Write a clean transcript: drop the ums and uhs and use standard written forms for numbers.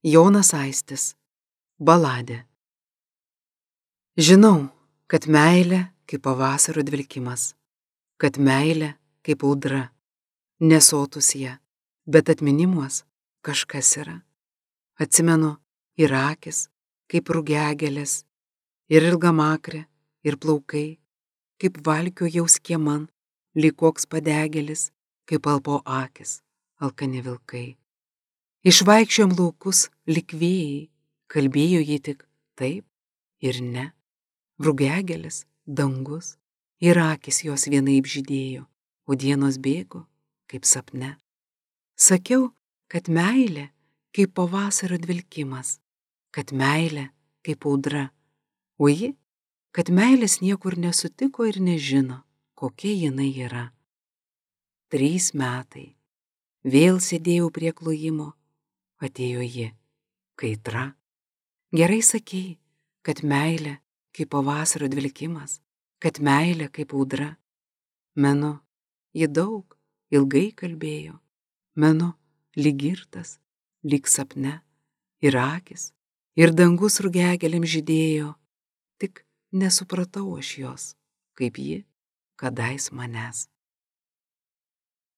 Jonas Aistis. Baladė. Žinau, kad meilė kaip pavasario dvelkimas, kad meilė kaip audra, nesotus ją, bet atminimuos kažkas yra. Atsimenu ir akis, kaip rugiagėlės, ir ilgamakrė, ir plaukai, kaip valkio jauskie man, lyg koks padegėlis, kaip alpo akis, alkani vilkai. Išvaikščiojom laukus lyg vėjai, kalbėjo ji tik taip ir ne. Rugiagėlis, dangus ir akis jos vienaip žydėjo, o dienos bėgo kaip sapne. Sakiau, kad meilė kaip pavasario dvelkimas, kad meilė kaip audra, o ji, kad meilės niekur nesutiko ir nežino, kokia jinai yra. 3 metai. Vėl sėdėjau prie klojimo, atėjo ji, kaitra. Gerai sakei, kad meilė kaip pavasario dvelkimas, kad meilė kaip audra. Menu, ji daug, ilgai kalbėjo, menu, lyg girtas, lyg sapne, ir akis, ir dangus rugiagėlėm žydėjo, tik nesupratau aš jos, kaip ji kadais manęs.